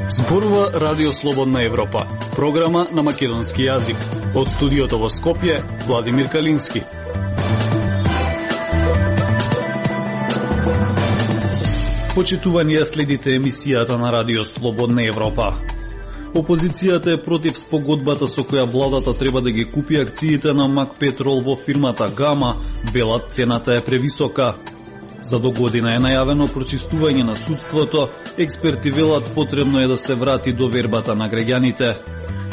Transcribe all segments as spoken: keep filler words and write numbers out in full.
Зборува Радио Слободна Европа, програма на македонски јазик. Од студиото во Скопје, Владимир Калински. Почитувани ја следите емисијата на Радио Слободна Европа. Опозицијата е против спогодбата со која владата треба да ги купи акциите на МАК Петрол во фирмата Гама, велат цената е превисока. За до година е најавено прочистување на судството, експерти велат потребно е да се врати довербата на граѓаните.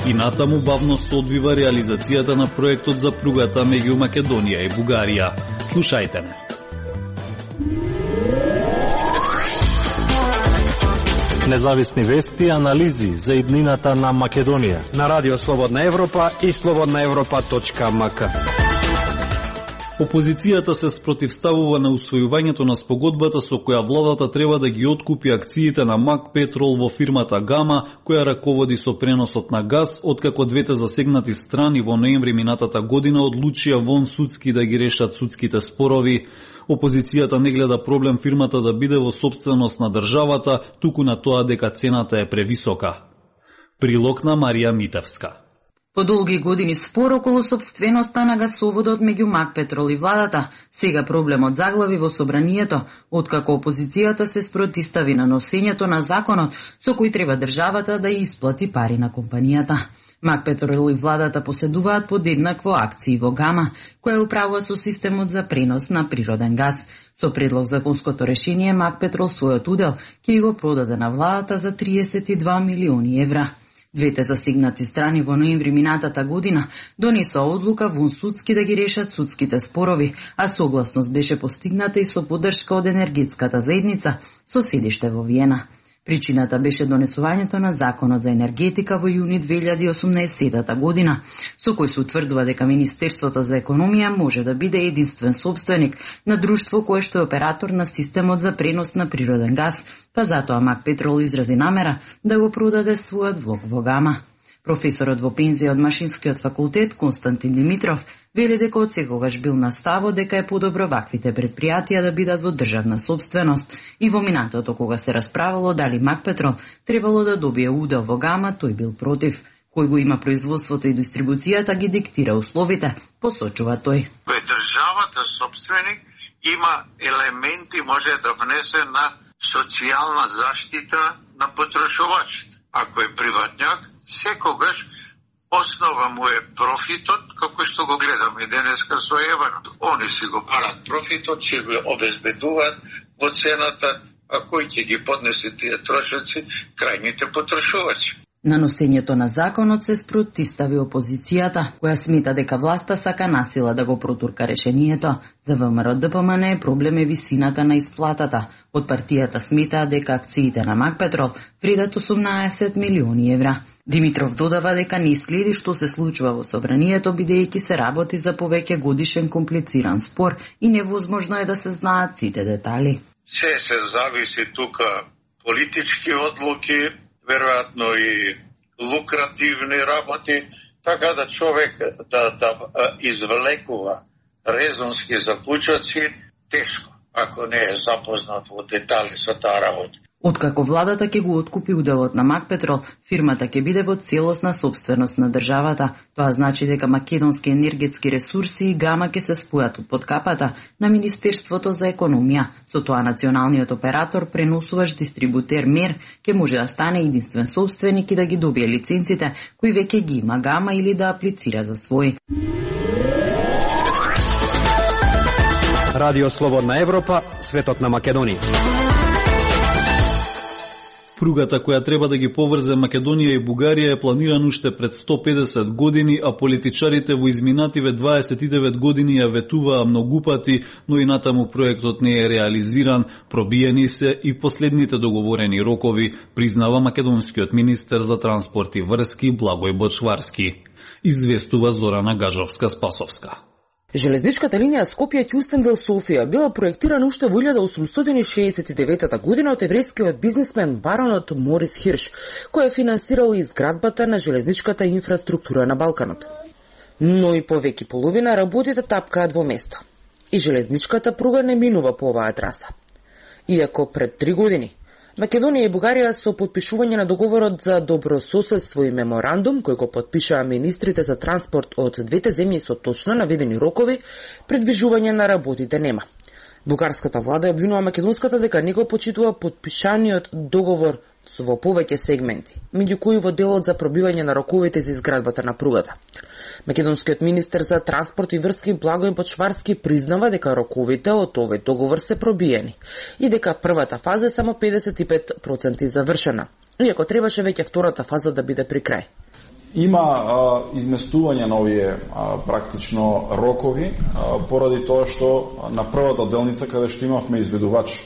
И натаму бавно се одвива реализацијата на проектот за пругата меѓу Македонија и Бугарија. Слушајте ме. Независни вести и анализи за иднината на Македонија на Радио Слободна Европа и слободна европа точка ем ка. Опозицијата се спротивставува на усвојувањето на спогодбата со која владата треба да ги откупи акциите на МАК Петрол во фирмата Гама, која раководи со преносот на газ, откако двете засегнати страни во ноември минатата година одлучија вон судски да ги решат судските спорови. Опозицијата не гледа проблем фирмата да биде во сопственост на државата, туку на тоа дека цената е превисока. Прилог на Марија Митевска. По долги години спор околу сопственоста на гасоводот меѓу МАК Петрол и владата, сега проблемот заглави во собранието, откако опозицијата се спротистави на носењето на законот со кој треба државата да ја исплати пари на компанијата. МАК Петрол и владата поседуваат подеднакво акции во Гама, која управува со системот за пренос на природен газ. Со предлог законското решение МАК Петрол својот удел ќе го продаде на владата за триесет и два милиони евра. Двете засегнати страни во ноември минатата година донесоа одлука вон судски да ги решат судските спорови, а согласност беше постигната и со поддршка од енергетската заедница со седиште во Виена. Причината беше донесувањето на Законот за енергетика во јуни две илјади и осумнаесетта година, со кој се утврдува дека Министерството за економија може да биде единствен собственик на друштво кое што е оператор на системот за пренос на природен газ, па затоа МАК Петрол изрази намера да го продаде својот влог во Гама. Професорот во пензија од Машинскиот факултет Константин Димитров вели дека од секогаш бил на ставот дека е подобро ваквите предпријатија да бидат во државна собственост и во минатото кога се расправало дали МАК Петрол требало да добие удел во Гама, тој бил против. Кој го има производството и дистрибуцијата ги диктира условите, посочува тој. Кој државата собственик има елементи може да внесе на социјална заштита на потрошувачите. Ако е приватњак, секогаш основа му е профитот, како што го гледаме денеска со еврото. Они си го барат профитот, ќе го обезбедуваат во цената, а кој ќе ги поднесе тие трошоци? Крајните потрошувачи. На носењето на законот се спротистави опозицијата, која смета дека власта сака насила да го протурка решението. За ВМРО Д П М Н проблем е висината на исплатата. Од партијата сметаа дека акциите на МАК Петрол вредат осумнаесет милиони евра. Димитров додава дека не следи што се случува во собранието, бидејќи се работи за повеќе годишен комплициран спор и невозможно е да се знаат сите детали. Се се зависи тука политички одлуки, веројатно и лукративни работи, така да човек да, да извлекува резонски заклучоци, тешко, ако не е запознат во детали со таа работа. Откако владата ќе го откупи уделот на МАК Петрол, фирмата ќе биде во целосна собственост на државата. Тоа значи дека македонски енергетски ресурси и Гама ќе се спојат под капата на Министерството за економија. Со тоа националниот оператор, преносуваш дистрибутер МЕР, ќе може да стане единствен собственик и да ги добие лиценците кои веќе ги има Гама или да аплицира за свој. Радио Слободна Европа, светот на Македонија. Пругата која треба да ги поврзе Македонија и Бугарија е планирана уште пред сто педесет години, а политичарите во изминативе дваесет и девет години ја ветуваа многу пати, но и натаму проектот не е реализиран, пробиени се и последните договорени рокови, признава македонскиот министер за транспорт и врски Благој Бочварски. Известува Зорана Гажовска-Спасовска. Железничката линија Скопје-Кјустендил Софија била проектирана уште во илјада осумстотини шеесет и девета година од еврејскиот бизнисмен баронот Морис Хирш, кој е финансирал изградбата на железничката инфраструктура на Балканот. Но и повеќе половина работите тапкаат во место. и железничката пруга не минува по оваа траса. Иако пред три години Македонија и Бугарија со потпишување на договорот за добрососедство и меморандум, кој го потпишаа министрите за транспорт од двете земји со точно наведени рокови, предвижување на работите нема. Бугарската влада обвинува македонската дека не го почитува потпишаниот договор во повеќе сегменти, меѓу кои во делот за пробивање на роковите за изградбата на пругата. Македонскиот министер за транспорт и врски Благој Почварски признава дека роковите од овој договор се пробиени и дека првата фаза е само педесет и пет проценти завршена, иако требаше веќе втората фаза да биде при крај. Има а, изместување на овие а, практично рокови а, поради тоа што на првата делница каде што имавме изведувач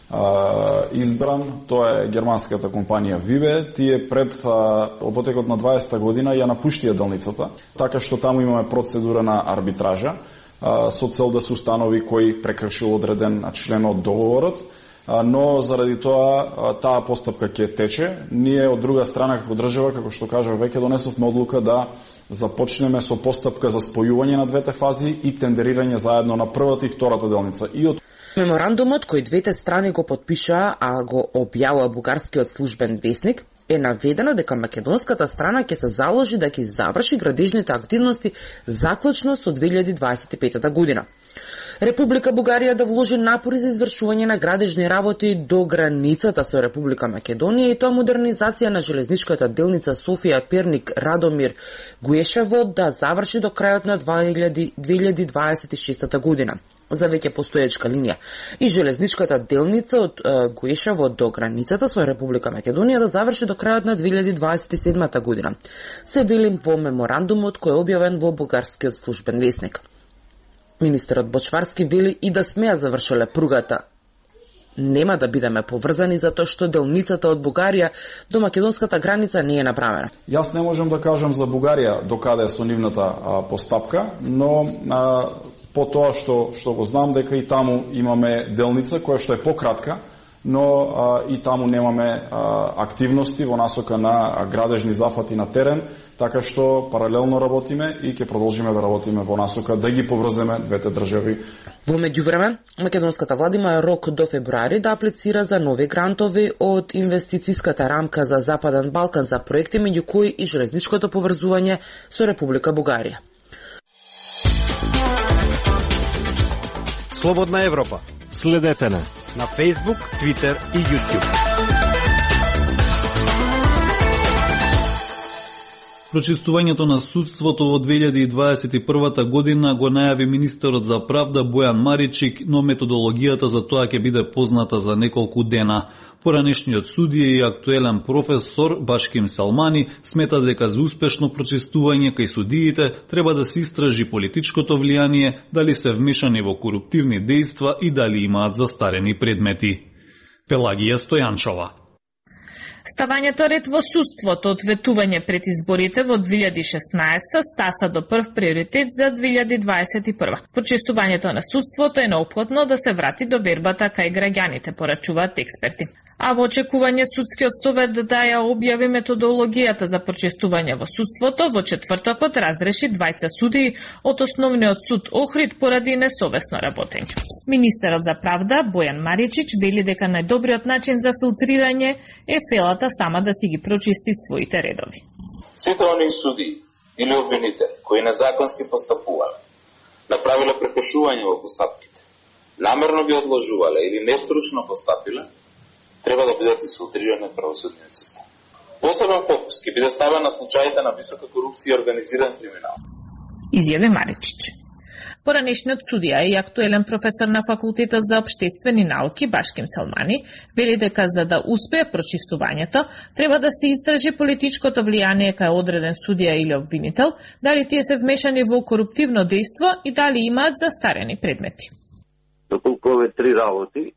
а, избран, тоа е германската компанија Вибе, тие пред а, потекот на дваесетта година ја напуштија делницата, така што таму имаме процедура на арбитража а, со цел да се установи кој прекршил одреден член од договорот, но заради тоа таа постапка ќе тече. Ние од друга страна како држава, како што кажав, веќе донесовме одлука да започнеме со постапка за спојување на двете фази и тендерирање заедно на првата и втората делница. И од Меморандумот кој двете страни го потпишаа, а го објавува бугарскиот службен весник, е наведено дека македонската страна ќе се заложи да ќе заврши градежните активности заклучно со две илјади дваесет и пета година. Република Бугарија да вложи напори за извршување на градежни работи до границата со Република Македонија и тоа модернизација на железничката делница Софија-Перник Радомир Гуешево да заврши до крајот на две илјади дваесет и шеста година за веќе постоечка линија и железничката делница од Гуешево до границата со Република Македонија да заврши до крајот на две илјади дваесет и седма година. Се вели во меморандумот кој е објавен во бугарскиот службен весник. Министерот Бочварски вели и да сме ја завршиле пругата. Нема да бидеме поврзани затоа што делницата од Бугарија до македонската граница не е направена. Јас не можам да кажам за Бугарија до каде е со нивната а, постапка, но а, по тоа што што го знам дека и таму имаме делница која што е пократка, но а, и таму немаме а, активности во насока на градежни зафати на терен, така што паралелно работиме и ќе продолжиме да работиме во насока да ги поврземе двете држави. Во меѓувреме, македонската влада има рок до февруари да аплицира за нови грантови од инвестицијската рамка за Западен Балкан за проекти меѓу кои и железничкото поврзување со Република Бугарија. Слободна Европа. Следете на на Facebook, Twitter и YouTube. Прочистувањето на судството во две илјади дваесет и прва година го најави министерот за правда Бојан Маричик, но методологијата за тоа ќе биде позната за неколку дена. Поранешниот судија и актуелен професор Башким Салмани смета дека за успешно прочистување кај судиите треба да се истражи политичкото влијание, дали се вмешани во коруптивни дејства и дали имаат застарени предмети. Пелагија Стојанчова. Ставањето ред во судството од ветување пред изборите во две илјади и шеснаесета стаса до прв приоритет за две илјади дваесет и прва. Почистувањето на судството е неопходно да се врати до вербата кај граѓаните, порачуваат експерти. А во очекување судскиот совет да ја објави методологијата за почистување во судството, во четвртокот разреши двајца судии од основниот суд Охрид поради несовесно работење. Министерот за правда Бојан Маричич вели дека најдобриот начин за филтрирање е фелата сама да си ги прочисти своите редови. Сите оние судии или обвинители кои незаконски постапувале, направиле прекршување во постапките, намерно ги одложувале или нестручно постапиле, треба да бидат изфилтрирани од правосудниот систем. Посебен фокус ќе биде ставен на случаите на висока корупција и организиран криминал. Изјави Маричич. Поранешниот судија и актуелен професор на факултетот за општествени науки Башким Салмани вели дека за да успее прочистувањето треба да се истражи политичкото влијание кај одреден судија или обвинител, дали тие се вмешани во коруптивно дејство и дали имаат застарени предмети. Доколку овие три работи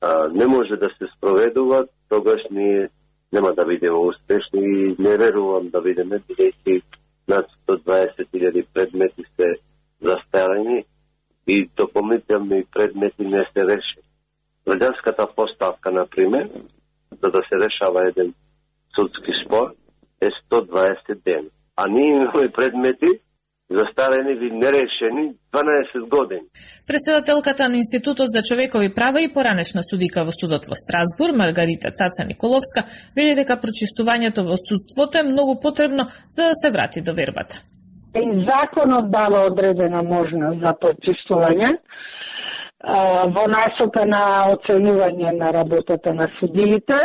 а, не може да се спроведуваат, тогаш ние нема да бидеме успешни и не верувам да бидеме, бидејќи над сто дваесет илјади предмети се застарени и дополнителни предмети не се реши. Граѓанската поставка, например, за да се решава еден судски спор, е сто дваесет дена. А ние имаме предмети застарени или нерешени дванаесет години. Председателката на Институтот за човекови права и поранешна судика во судот во Страсбург, Маргарита Цаца Николовска, вели дека прочистувањето во судството е многу потребно за да се врати до вербата. И законот дава одредена можност за прочистување во насока на оценување на работата на судиите.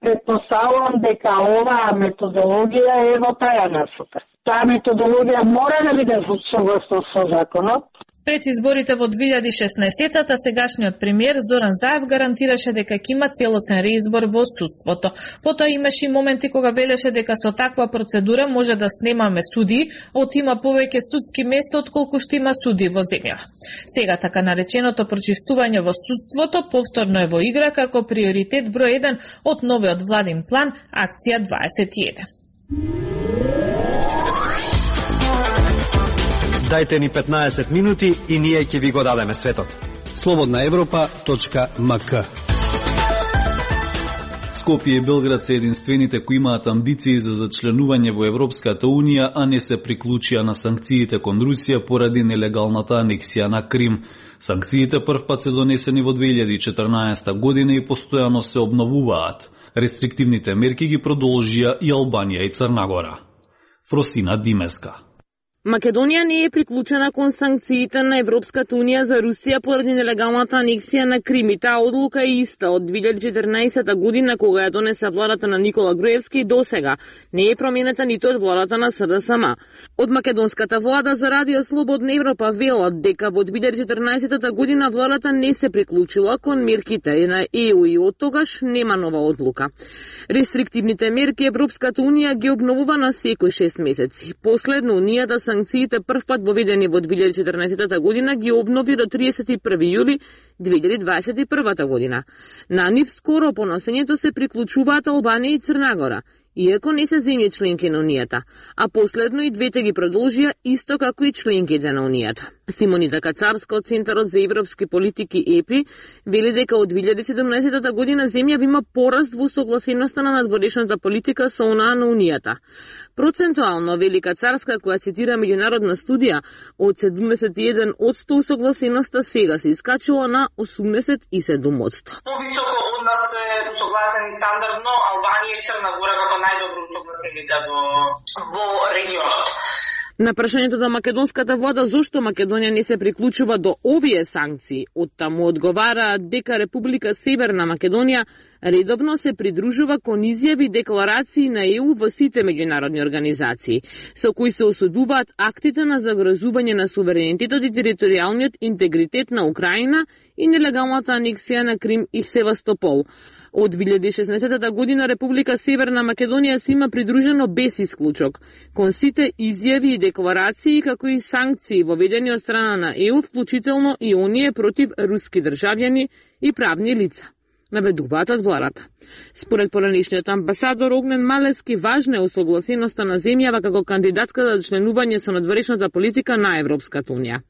Предпоставувам дека оваа методологија е во таја насока. Таа методологија мора да биде согласно со законот. Пред изборите во две илјади и шеснаесетта сегашниот премиер Зоран Заев гарантираше дека ќе има целосен реизбор во судството. Потоа имаше и моменти кога велеше дека со таква процедура може да снемаме судии, од има повеќе судски места отколку што има судии во земјава. Сега така нареченото прочистување во судството повторно е во игра како приоритет број еден од новиот владин план Акција дваесет и еден. Дајте ни петнаесет минути и ние ќе ви го дадеме светот. слободна европа точка ем ка. Скопје и Белград се единствените кои имаат амбиции за зачленување во Европската Унија, а не се приклучија на санкциите кон Русија поради нелегалната анексија на Крим. Санкциите првпат се донесени во две илјади и четрнаесетта година и постојано се обновуваат. Рестриктивните мерки ги продолжија и Албанија и Црна Гора. Фросина Димеска. Македонија не е приклучена кон санкциите на Европската Унија за Русија поради нелегалната анексија на Крим и таа одлука е иста од две илјади и четрнаесетта година кога ја донесе владата на Никола Груевски и досега не е променета ниту од владата на С Д С М. Од македонската влада за Радио Слободна Европа велат дека во две илјади и четрнаесетта година владата не се приклучила кон мерките на Е У и од тогаш нема нова одлука. Рестриктивните мерки Европската Унија ги обновува на секој шест месеци. Последно Унијата санкциите првпат воведени во две илјади и четрнаесетта година ги обнови до триесет и први јули две илјади дваесет и прва година. На нив скоро по носењето се приклучуваат Албанија и Црна Гора, иако не се земји членки на Унијата, а последно и двете ги продолжија исто како и членките на Унијата. Симонита Кацарска од Центарот за европски политики Е П И вели дека од две илјади и седумнаесетта година земјава има пораст во согласеноста на надворешната политика со онаа на Унијата. Процентуално, вели Кацарска, која цитира меѓународна студија, од седумдесет и еден одсто усогласеноста сега се искачува на осумдесет и седум одсто. Повисоко од нас е усогласени стандардно Албанија и Црна Гора како најдобро усогласените во, во регионот. На прашањето на македонската влада зошто Македонија не се приклучува до овие санкции, оттаму одговара дека Република Северна Македонија редовно се придружува кон изјави и декларации на Е У во сите меѓународни организации, со кои се осудуваат актите на загрозување на суверенитетот и територијалниот интегритет на Украина и нелегалната анексија на Крим и Севастопол. Од две илјади и шеснаесетта година Република Северна Македонија се има придружено без исклучок кон сите изјави и декларации како и санкции воведени од страна на Е У, вклучително и оние против руски државјани и правни лица, наведуваат од владата. Според поранешниот амбасадор Огнен Малески, важна е усогласеноста на земјава како кандидатка за членување со надворешната политика на Европската Унија.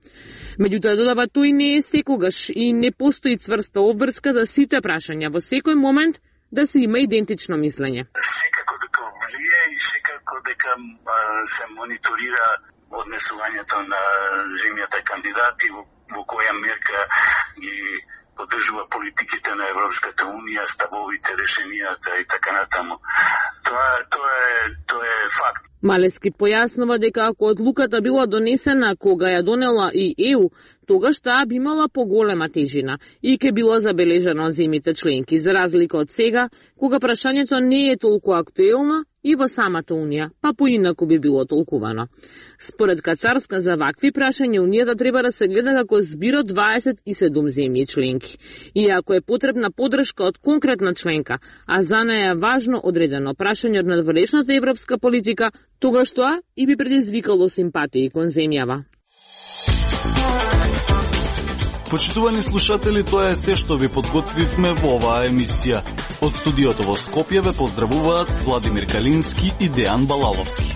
Меѓутоа, додава, тој не е секогаш и не постои цврста обврска за сите прашања во секој момент да се има идентично мислење. Секако дека влие и секако дека се мониторира однесувањето на земјата кандидати, во, во која мерка ги поддржува политиките на Европската Унија, ставовите, решенијата и така натаму. Тоа, тоа, е, тоа е факт. Малески појаснува дека ако одлуката била донесена кога ја донела и Е У, тогаш таа би имала поголема тежина и ќе била забележана од земјите членки, за разлика од сега, кога прашањето не е толку актуелно и во самата Унија, па поинаку би било толкувано. Според Кацарска, за вакви прашања Унијата треба да се гледа како збир од дваесет и седум земји членки. И ако е потребна поддршка од конкретна членка, а за неја е важно одредено прашање од надворешната европска политика, тогаш тоа и би предизвикало симпатии кон земјава. Почитувани слушатели, тоа е се што ви подготвивме во оваа емисија. Од студиото во Скопје ве поздравуваат Владимир Калински и Дејан Балаловски.